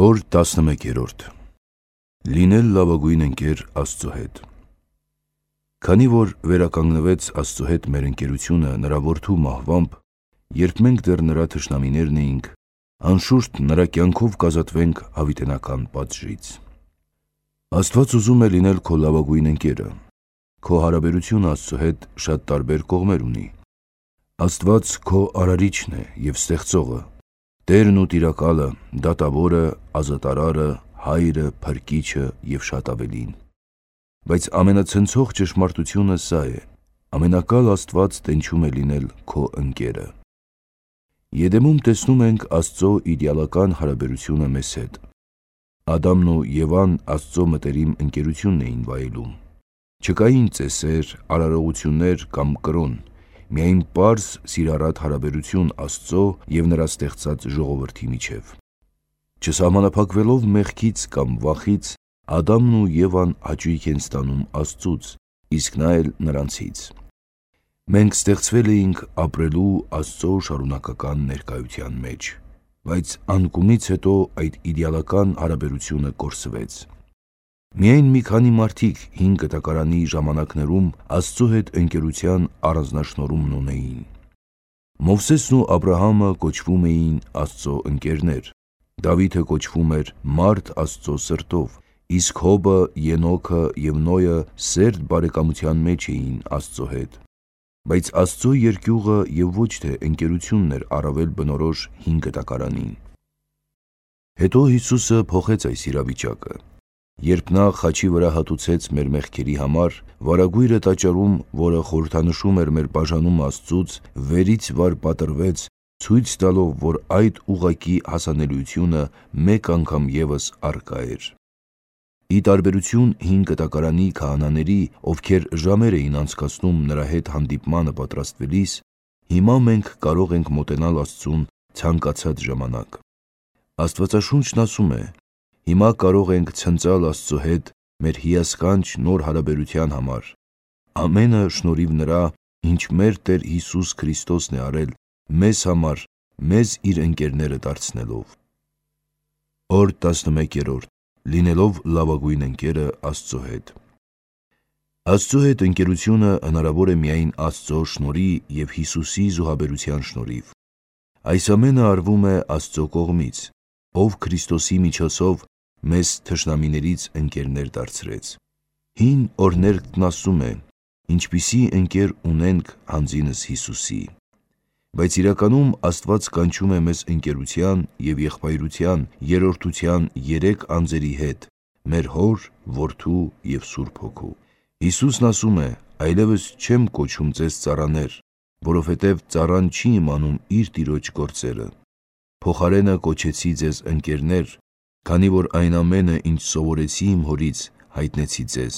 Օր 11-րդ Լինել լավագույն ընկեր Աստծո հետ։ Քանի որ վերականգնվեց Աստծո հետ մեր ընկերությունը նրա որդու մահվամբ, երբ մենք դեռ նրա թշնամիներն էինք, անշուշտ նրա կյանքով կազատվենք հավիտենական պատժից։ Աստված ուզում է լինել քո լավագույն ընկերը։ Քո հարաբերությունը Աստծո հետ շատ տարբեր կողմեր ունի։ Աստված քո արարիչն է և ստեղծողը, Տերն ու Տիրակալը, Դատավորը, Ազատարարը, Հայրը, Փրկիչը և շատ ավելին։ Բայց ամենացնցող ճշմարտությունը սա է. ամենակալ Աստված տենչում է լինել քո ընկերը։ Եդեմում տեսնում ենք Աստծո իդեալական հարաբերությունը մեզ հետ։ Ադամն ու Եվան Աստծո մտերիմ ընկերությունն էին վայելում։ Չկային ծեսեր, արարողություններ կամ կրոն, միայն պարզ սիրառատ հարաբերություն Աստծո և նրա ստեղծած ժողովրդի միջև։ Չսահմանափակվելով մեղքից կամ վախից, Ադամն ու Եվան հաճույք են ստանում Աստծուց, իսկ նա էլ նրանցից։ Մենք ստեղծվել էինք ապրելու Աստծո շարունակական ներկայության մեջ, բայց անկումից հետո այդ իդեալական հարաբերությունը կորսվեց։ Միայն մի քանի մարդիկ հին կտակարանի ժամանակներում Աստծո հետ ընկերության առանձնաշնորհումն ունեին։ Մովսեսն ու Աբրահամը կոչվում էին Աստծո ընկերներ, Դավիթը կոչվում էր մարդ Աստծո սրտով, իսկ Հոբը, Ենոքը և Նոյը սերտ բարեկամության մեջ էին Աստծո հետ։ Բայց Աստծո երկյուղը և ոչ թե ընկերությունն էր առավել բնորոշ հին կտակարանին։ Հետո Հիսուսը փոխեց այս իրավիճակը, երբ նա խաչի վրա հատուցեց մեր մեղքերի համար, վարագույրը տաճարում, որը խորհրդանշում էր մեր բաժանումը Աստծուց, վերից վար պատռվեց, ցույց տալով, որ այդ ուղղակի հասանելիությունը մեկ անգամ ևս առկա էր։ Ի տարբերություն հին կտակարանի քահանաների, ովքեր ժամեր էին անցկացնում նրա հետ հանդիպմանը պատրաստվելիս, հիմա մենք կարող ենք մոտենալ Աստծուն ցանկացած ժամանակ։ Աստվածաշունչն ասում է. հիմա կարող ենք ցնծալ Աստծո հետ մեր հիասքանչ նոր հարաբերության համար, ամենը շնորհիվ նրա, ինչ մեր Տեր Հիսուս Քրիստոսն է արել մեզ համար, մեզ իր ընկերները դարձնելով։ Օր 11-րդ Լինելով լավագույն ընկերը Աստծո հետ։ Աստծո հետ ընկերությունը հնարավոր է միայն Աստծո շնորհի և Հիսուսի զոհաբերության շնորհիվ։ Այս ամենը արվում է Աստծո կողմից, ով Քրիստոսի միջոցով մեզ թշնամիներից ընկերներ դարձրեց։ Հին օրհներգն ասում է. ինչպիսի ընկեր ունենք հանձինս Հիսուսի։ Բայց իրականում Աստված կանչում է մեզ ընկերության և եղբայրության, երրորդության երեք անձերի հետ՝ մեր Հոր, Որդու և Սուրբ Հոգու։ Հիսուսն ասում է. այլևս չեմ կոչում ձեզ ծառաներ, որովհետև ծառան չի իմանում իր տիրոջ գործերը։ Փոխարենը կոչեցի ձեզ ընկերներ, քանի որ այն ամենը, ինչ սովորեցի իմ Հորից, հայտնեցի ձեզ։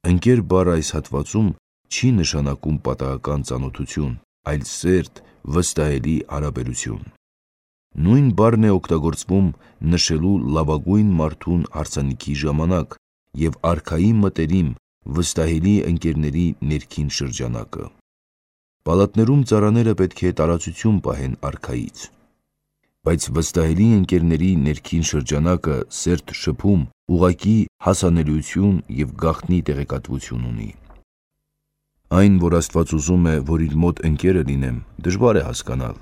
Ընկեր բառը այս հատվածում չի նշանակում պատահական ծանոթություն, այլ սերտ, վստահելի հարաբերություն։ Նույն բառն է օգտագործվում նշելու լավագույն մարդուն հարսանիքի ժամանակ և արքայի մտերիմ, վստահելի ընկերների ներքին շրջանակը։ Պալատներում ծառաները պետք է տարածություն պահեն արքայից։ Բայց վստահելի ընկերների ներքին շրջանակը սերտ շփում, ուղղակի հասանելիություն և գաղտնի տեղեկատվություն ունի։ Այն, որ Աստված ուզում է, որ իր մոտ ընկերը լինեմ, դժվար է հասկանալ,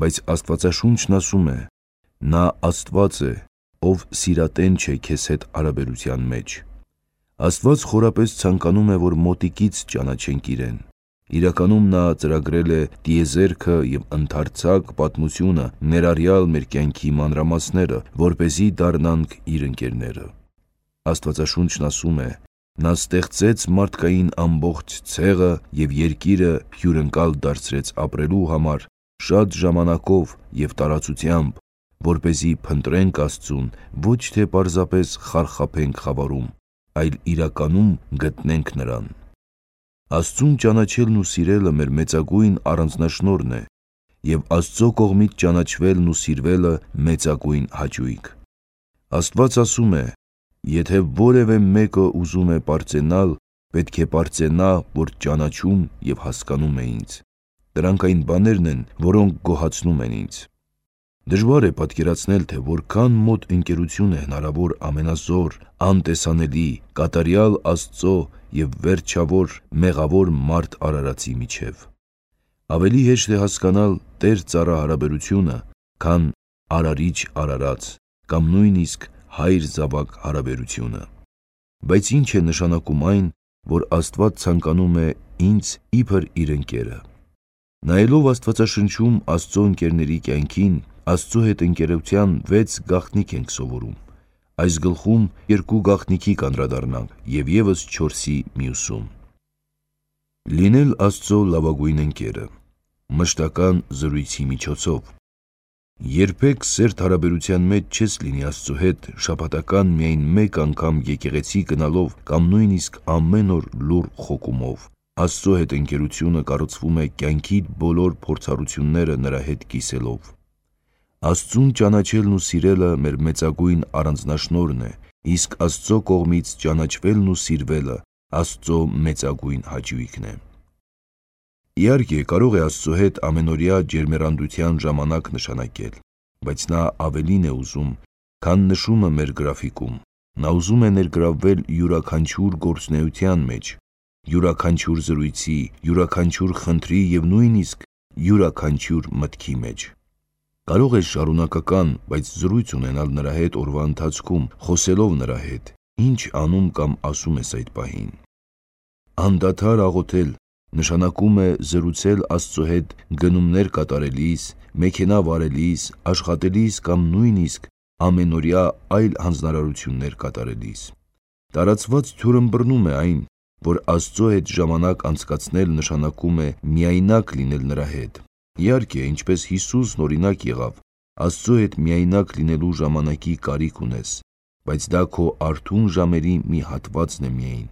բայց Աստվածաշունչն ասում է. նա Աստված է, ով սիրատեն չէ քեզ հետ հարաբերության մեջ։ Աստված խորապես ցանկանում է, որ մոտիկից ճանաչենք իրեն։ Իրականում նա ծրագրել է տիեզերքը և ընդարձակ պատմությունը, ներառյալ մեր կյանքի մանրամասները, որպեսզի դառնանք իր ընկերները։ Աստվածաշունչն ասում է. նա ստեղծեց մարդկային ամբողջ ցեղը և երկիրը հյուրընկալ դարձրեց ապրելու համար շատ ժամանակով և տարածությամբ, որպեսզի փնտրենք Աստծուն, ոչ թե պարզապես խարխափենք խավարում, այլ իրականում գտնենք նրան։ Աստծուն ճանաչելն ու սիրելը մեր մեծագույն առանձնաշնորհն է, և Աստծո կողմից ճանաչվելն ու սիրվելը մեծագույն հաճույք։ Աստված ասում է. եթե որևէ մեկը ուզում է պարծենալ, պետք է պարծենա, որ ճանաչում և հասկանում է ինձ։ Դրանք այն բաներն են, որոնք գոհացնում են ինձ։ Դժվար է պատկերացնել, թե որքան մոտ ընկերություն է հնարավոր ամենազոր, անտեսանելի, կատարյալ Աստծո և վերջավոր, մեղավոր մարդ Արարածի միջև։ Ավելի հեշտ է հասկանալ տեր-ծառա հարաբերությունը, քան Արարիչ-Արարած կամ նույնիսկ հայր-զավակ հարաբերությունը։ Բայց ինչ է նշանակում այն, որ Աստված ցանկանում է ինձ իբր իր ընկերը։ Նայելով Աստվածաշնչում Աստծո ընկերների կյանքին, Աստծո հետ ընկերության 6 գաղտնիք ենք սովորում։ Այս գլխում 2 գաղտնիքի կանդրադառնանք և ևս 4-ի մյուսում։ Լինել Աստծո լավագույն ընկերը, մշտական զրույցի միջոցով։ Երբեք սերտ հարաբերության մեջ չես լինի Աստծո հետ շաբաթական միայն մեկ անգամ եկեղեցի գնալով կամ նույնիսկ ամեն օր լուռ խոկումով։ Աստծո հետ ընկերությունը կառուցվում է կյանքիդ բոլոր փորձառությունները նրա հետ կիսելով։ Աստծուն ճանաչելն ու սիրելը մեր մեծագույն առանձնաշնորհն է, իսկ Աստծո կողմից ճանաչվելն ու սիրվելը Աստծո մեծագույն հաճույքն է։ Իհարկե, կարող է Աստծո հետ ամենօրյա ջերմեռանդության ժամանակ նշանակել, բայց նա ավելին է ուզում, քան նշումը մեր գրաֆիկում։ Նա ուզում է ներգրավվել յուրաքանչյուր գործունեության մեջ, յուրաքանչյուր զրույցի, յուրաքանչյուր խնդրի և նույնիսկ յուրաքանչյուր մտքի մեջ։ Կարող ես շարունակական, բայց զրույց ունենալ նրա հետ օրվա ընթացքում, խոսելով նրա հետ, ինչ անում կամ ասում ես այդ պահին։ Անդադար աղոթել նշանակում է զրուցել Աստծո հետ գնումներ կատարելիս, մեքենա վարելիս, աշխատելիս կամ նույնիսկ ամենօրյա այլ հանձնարարություններ կատարելիս։ Տարածված թյուրըմբռնում է այն, որ Աստծո հետ ժամանակ անցկացնել նշանակում է միայնակ լինել նրա հետ։ Իհարկե, ինչպես Հիսուսն օրինակ եղավ, Աստծո հետ միայնակ լինելու ժամանակի կարիք ունես, բայց դա քո արթուն ժամերի մի հատվածն է միայն։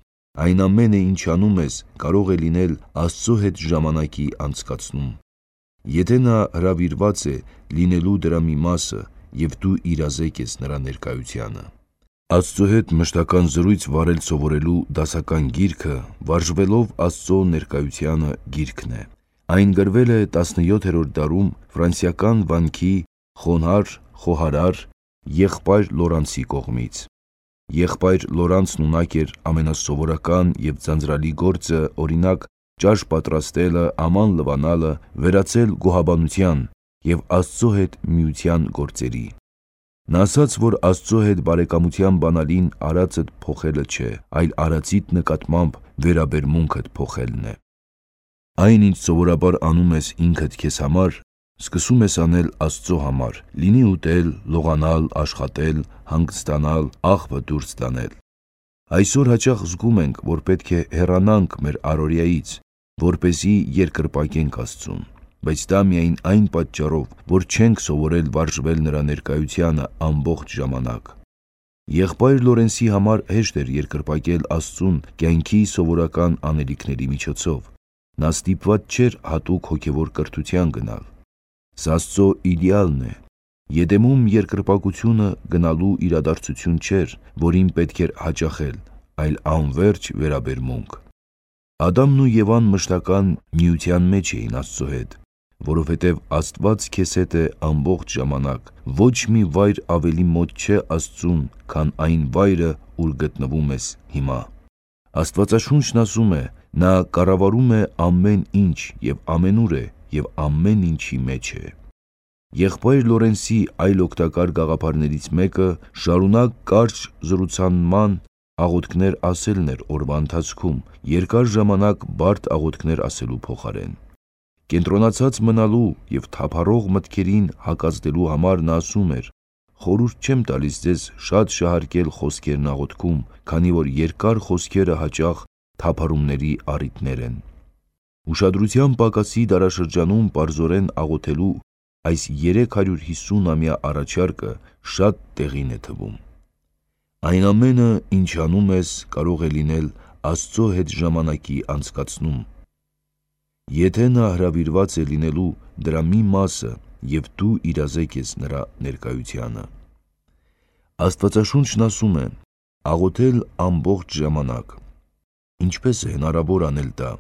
Այն ամենը, ինչ անում ես, կարող է լինել Աստծո հետ ժամանակի անցկացնում։ Եթե նա հրավիրված է լինելու դրա մի մասը, և դու իրազեկ ես նրա ներկայությանը։ Աստծո հետ մշտական զրույց վարել սովորելու դասական գիրքը վարժվելով Աստծո ներկայությանը գիրքն է։ Այն գրվել է 17-րդ դարում ֆրանսիական վանքի խոնարհ խոհարար եղբայր Լորանսի կողմից։ Եղբայր Լորանսն ունակ էր ամենասովորական և ձանձրալի գործը, օրինակ, ճաշ պատրաստելը, աման լվանալը, վերածել գոհաբանության և Աստծո հետ միության գործերի։ Նա ասաց, որ Աստծո հետ բարեկամության բանալին արածդ փոխելը չէ, այլ արածիդ նկատմամբ վերաբերմունքդ փոխելն է։ Այն, ինչ սովորաբար անում ես ինքդ քեզ համար, սկսում ես անել Աստծո համար, լինի ուտել, լողանալ, աշխատել, հանգստանալ, աղբը դուրս տանել։ Այսօր հաճախ զգում ենք, որ պետք է հեռանանք մեր առօրյայից, որպեսզի երկրպագենք Աստծուն, բայց դա միայն այն պատճառով, որ չենք սովորել վարժվել նրա ներկայությանը ամբողջ ժամանակ։ Եղբայր Լորենսի համար հեշտ էր երկրպագել Աստծուն կյանքի սովորական անելիքների միջոցով։ Նա ստիպված չէր հատուկ հոգևոր կրթության գնալ։ Սա Աստծո իդեալն է։ Եդեմում երկրպագությունը գնալու իրադարձություն չէր, որին պետք էր հաճախել, այլ անվերջ վերաբերմունք։ Ադամն ու Եվան մշտական միության մեջ էին Աստծո հետ, որովհետև Աստված քեզ հետ է ամբողջ ժամանակ, ոչ մի վայր ավելի մոտ չէ Աստծուն, քան այն վայրը, ուր գտնվում ես հիմա։ Աստվածաշունչն ասում է. նա կառավարում է ամեն ինչ և ամենուր է և ամեն ինչի մեջ է։ Եղբայր Լորենսի այլ օգտակար գաղափարներից մեկը շարունակ կարճ զրուցանման աղոթքներ ասելն էր օրվա ընթացքում, երկար ժամանակ բարդ աղոթքներ ասելու փոխարեն։ Կենտրոնացած մնալու և թափառող մտքերին հակազդելու համար նա ասում էր. խորհուրդ չեմ տալիս ձեզ շատ շահարկել խոսքերն աղոթքում, քանի որ երկար խոսքերը հաճախ թափառումների առիթներ են։ Ուշադրության պակասի դարաշրջանում պարզորեն աղոթելու այս 350-ամյա առաջարկը շատ տեղին է թվում։ Այն ամենը, ինչ անում ես, կարող է լինել Աստծո հետ ժամանակի անցկացնում, եթե նա հրավիրված է լինելու դրա մի մասը և դու իրազեկ ես նրա ներկայությանը։ Աստվածաշունչն ասում է. աղոթել ամբողջ ժամանակ։ Ինչպես է հնարավոր անել դա։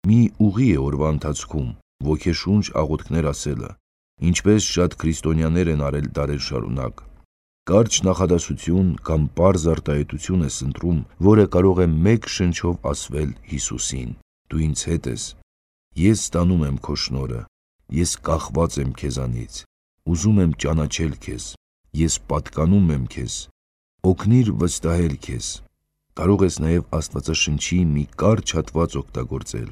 Մի ուղի է օրվա ընթացքում ոգեշունչ աղոթքներ ասելը, ինչպես շատ քրիստոնյաներ են արել դարեր շարունակ։ Կարճ նախադասություն կամ պարզ արտահայտություն ես ընտրում, որը կարող է մեկ շնչով ասվել Հիսուսին. «Դու ինձ հետ ես, ես ստանում եմ քո շնորհը, ես կախված եմ քեզանից, ուզում եմ ճանաչել քեզ, ես պատկանում եմ քեզ, օգնիր վստահել քեզ»։ Կարող ես նաև Աստվածաշնչի մի կարճ հատված օգտագործել.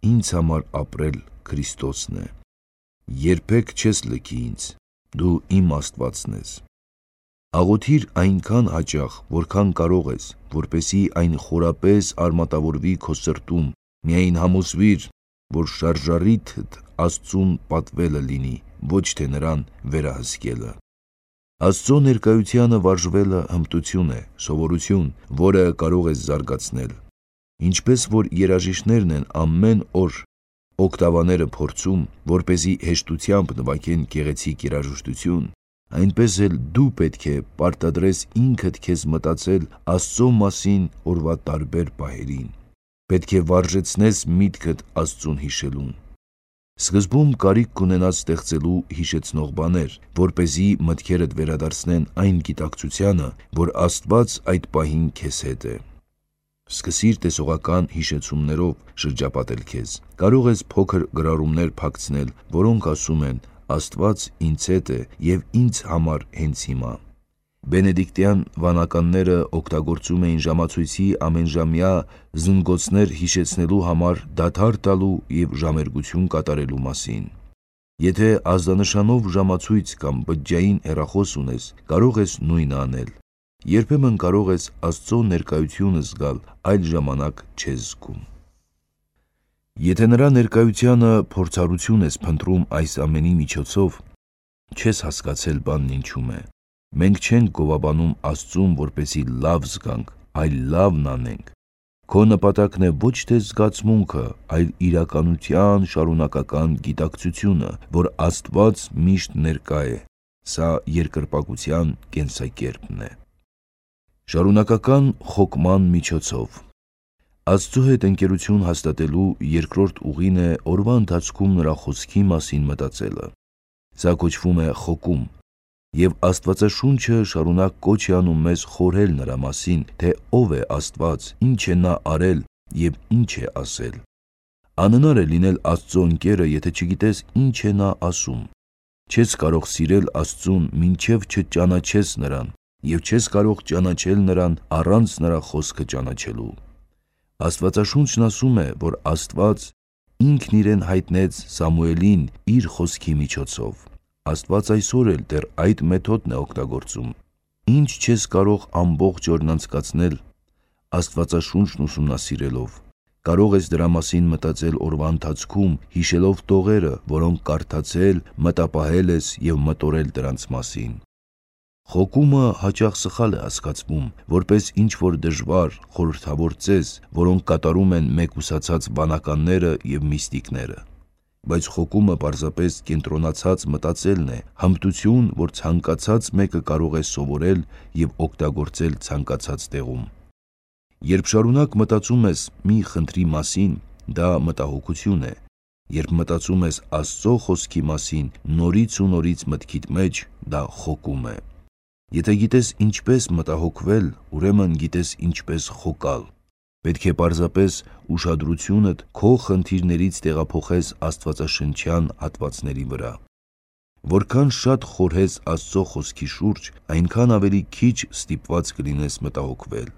«Ինձ համար ապրել Քրիստոսն է, երբեք չես լքի ինձ, դու իմ Աստվածն ես»։ Աղոթիր այնքան հաճախ, որքան կարող ես, որպեսզի այն խորապես արմատավորվի քո սրտում, միայն համոզվիր, որ շարժառիթդ Աստծուն պատվելը լինի, ոչ թե նրան վերահսկելը։ Աստծո ներկայությանը վարժվելը հմտություն է, սովորություն, որը կարող ես զարգացնել։ Ինչպես որ երաժիշտներն են ամեն օր օկտավաները փորձում, որպեսզի հեշտությամբ նվագեն գեղեցիկ երաժշտություն, այնպես էլ դու պետք է պարտադրես ինքդ քեզ մտածել Աստծո մասին օրվա տարբեր պահերին։ Պետք է վարժեցնես միտքդ Աստծուն հիշելուն։ Սկզբում կարիք կունենաս ստեղծելու հիշեցնող բաներ, որպեսզի մտքերդ վերադարձնեն այն գիտակցությանը, որ Աստված այդ պահին քեզ հետ է։ Սկսիր տեսողական հիշեցումներով շրջապատել քեզ։ Կարող ես փոքր գրառումներ փակցնել, որոնք ասում են. «Աստված ինձ հետ է և ինձ համար հենց հիմա»։ Բենեդիկտյան վանականները օգտագործում էին ժամացույցի ամենժամյա զնգոցներ հիշեցնելու համար դադար տալու և ժամերգություն կատարելու մասին։ Եթե ազդանշանով ժամացույց կամ բջջային հեռախոս ունես, կարող ես նույնը անել։ Երբեմն կարող ես Աստծո ներկայությունը զգալ, այլ ժամանակ չես զգում։ Եթե նրա ներկայությանը փորձառություն ես փնտրում այս ամենի միջոցով, չես հասկացել բանն ինչում է։ Մենք չենք գովաբանում Աստծուն, որպեսզի լավ զգանք, այլ լավն անենք։ Քո նպատակն է ոչ թե զգացմունքը, այլ իրականության շարունակական գիտակցությունը, որ Աստված միշտ ներկա է։ Սա երկրպագության կենսակերպն է։ Շարունակական խոկման միջոցով Աստծո հետ ընկերություն հաստատելու երկրորդ ուղին է օրվա ընթացքում նրա խոսքի մասին մտածելը։ Սա կոչվում է խոկում, և Աստվածաշունչը շարունակ կոչ է անում մեզ խորհել նրա մասին, թե ով է Աստված, ինչ է նա արել և ինչ է ասել։ Անհնար է լինել Աստծո ընկերը, եթե չգիտես ինչ է նա ասում։ Չես կարող սիրել Աստծուն, մինչև չճանաչես նրան, և չես կարող ճանաչել նրան առանց նրա խոսքը ճանաչելու։ Աստվածաշունչն ասում է, որ Աստված ինքն իրեն հայտնեց Սամուելին իր խոսքի միջոցով։ Աստված այսօր էլ դեռ այդ մեթոդն է օգտագործում։ Ինչ չես կարող ամբողջ օրն անցկացնել Աստվածաշունչն ուսումնասիրելով։ Կարող ես դրա մասին մտածել օրվա ընթացքում, հիշելով տողերը, որոնք կարդացել, մտապահել ես և մտորել դրանց մասին։ Խոկումը հաճախ սխալ է հասկացվում, որպես ինչ-որ դժվար, խորհրդավոր ծես, որոնք կատարում են մեկուսացած վանականները և միստիկները։ Բայց խոկումը պարզապես կենտրոնացած մտածելն է, հմտություն, որ ցանկացած մեկը կարող է սովորել և օգտագործել ցանկացած տեղում։ Երբ շարունակ մտածում ես մի խնդրի մասին, դա մտահոգություն է։ Երբ մտածում ես Աստծո խոսքի մասին նորից ու նորից մտքիդ մեջ, դա խոկում է։ Եթե գիտես ինչպես մտահոգվել, ուրեմն գիտես ինչպես խոկալ։ Պետք է պարզապես ուշադրությունդ քո խնդիրներից տեղափոխես աստվածաշնչյան հատվածների վրա։ Որքան շատ խորհես Աստծո խոսքի շուրջ, այնքան ավելի քիչ ստիպված կլինես մտահոգվել։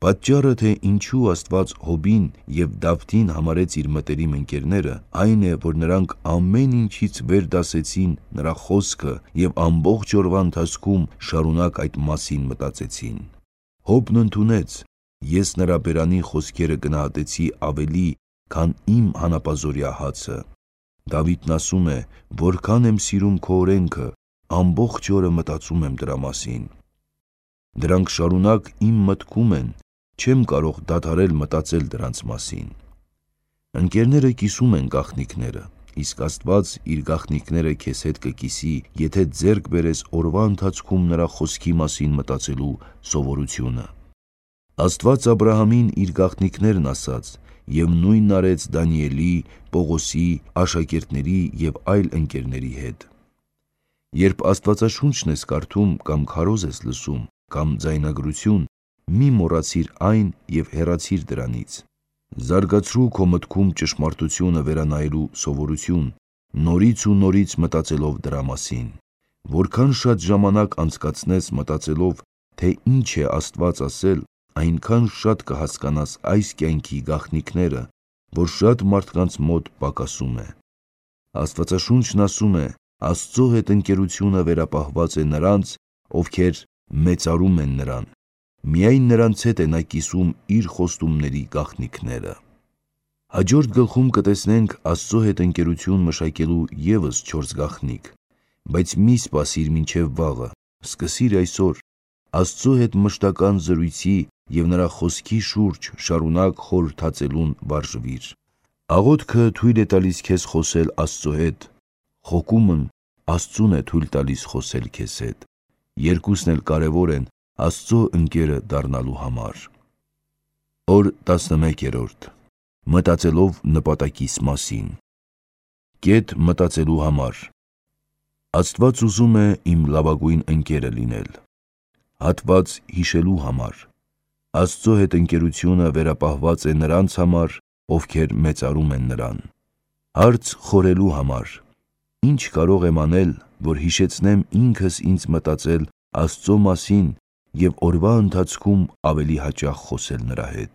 Պատճառը, թե ինչու Աստված Հոբին և Դավթին համարեց իր մտերիմ ընկերները, այն է, որ նրանք ամեն ինչից վեր դասեցին նրա խոսքը և ամբողջ օրվա ընթացքում շարունակ այդ մասին մտածեցին։ Հոբն ընդունեց. «Ես նրա բերանի խոսքերը գնահատեցի ավելի, քան իմ հանապազօրյա հացը»։ Դավիթն ասում է. «Որքան եմ սիրում քո օրենքը, ամբողջ օրը մտածում եմ դրա մասին»։ Դրանք շարունակ իմ մտքում են, չեմ կարող դադարել մտածել դրանց մասին։ Ընկերները կիսում են գաղտնիքները, իսկ Աստված իր գաղտնիքները քեզ հետ կկիսի, եթե ձեռք բերես օրվա ընթացքում նրա խոսքի մասին մտածելու սովորությունը։ Աստված Աբրահամին իր գաղտնիքներն ասաց, և նույնն արեց Դանիելի, Պողոսի, աշակերտների և այլ ընկերների հետ։ Երբ Աստվածաշունչն ես կարդում կամ քարոզ ես լսում կամ ձայնագրություն, մի մոռացիր այն և հեռացիր դրանից։ Զարգացրու քո մտքում ճշմարտությունը վերանայելու սովորություն, նորից ու նորից մտածելով դրա մասին։ Որքան շատ ժամանակ անցկացնես մտածելով, թե ինչ է Աստված ասել, այնքան շատ կհասկանաս այս կյանքի գաղտնիքները, որ շատ մարդկանց մոտ պակասում է։ Աստվածաշունչն ասում է. Աստծո հետ ընկերությունը վերապահված է նրանց, ովքեր մեծարում են նրան։ Միայն նրանց հետ է նա կիսում իր խոստումների գաղտնիքները։ Հաջորդ գլխում կտեսնենք Աստծո հետ ընկերություն մշակելու ևս 4 գաղտնիք, բայց մի սպասիր մինչև վաղը, սկսիր այսօր։ Աստծո հետ մշտական զրույցի և նրա խոսքի շուրջ շարունակ խորհրդածելուն վարժվիր։ Աղոթքը թույլ է տալիս քեզ խոսել Աստծո հետ, խոկումն Աստծուն է թույլ տալիս խոսել քեզ հետ։ Երկուսն էլ կարևոր են Աստծո ընկերը դառնալու համար։ Օր 11. Մտածելով նպատակիս մասին։ Կետ մտածելու համար։ Աստված ուզում է իմ լավագույն ընկերը լինել։ Հատված հիշելու համար։ Աստծո հետ ընկերությունը վերապահված է նրանց համար, ովքեր մեծարում են նրան։ Հարց խորելու համար։ Ինչ կարող եմ անել, որ հիշեցնեմ ինքս ինձ մտածել Աստծո մասին և օրվա ընթացքում ավելի հաճախ խոսել նրա հետ։